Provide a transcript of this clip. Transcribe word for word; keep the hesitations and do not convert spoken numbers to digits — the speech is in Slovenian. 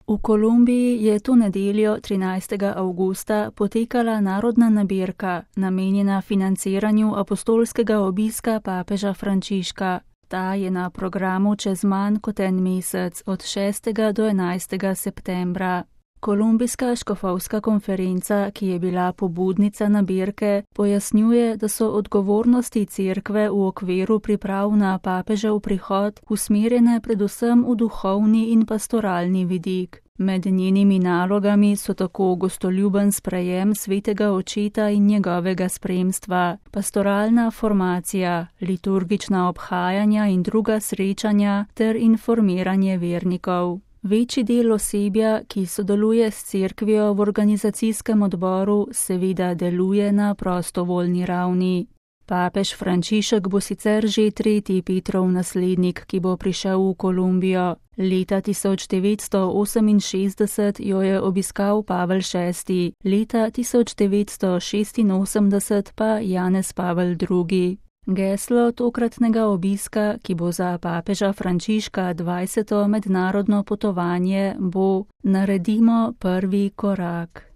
V Kolumbiji je to nedeljo trinajstega avgusta potekala narodna nabirka, namenjena financiranju apostolskega obiska papeža Frančiška. Ta je na programu čez manj kot en mesec, od šestega do enajstega septembra. Kolumbijska škofovska konferenca, ki je bila pobudnica nabirke, pojasnjuje, da so odgovornosti cerkve v okviru priprav na papežev prihod usmerjene predvsem v duhovni in pastoralni vidik. Med njenimi nalogami so tako gostoljuben sprejem svetega očeta in njegovega spremstva, pastoralna formacija, liturgična obhajanja in druga srečanja ter informiranje vernikov. Večji del osebja, ki sodeluje s cerkvijo v organizacijskem odboru, seveda deluje na prostovoljni ravni. Papež Frančišek bo sicer že tretji Petrov naslednik, ki bo prišel v Kolumbijo. Leta tisoč devetsto oseminšestdeset jo je obiskal Pavel šesti, leta tisoč devetsto šestinosemdeset pa Janez Pavel drugi. Geslo tokratnega obiska, ki bo za papeža Frančiška dvajseto mednarodno potovanje, bo: Naredimo prvi korak.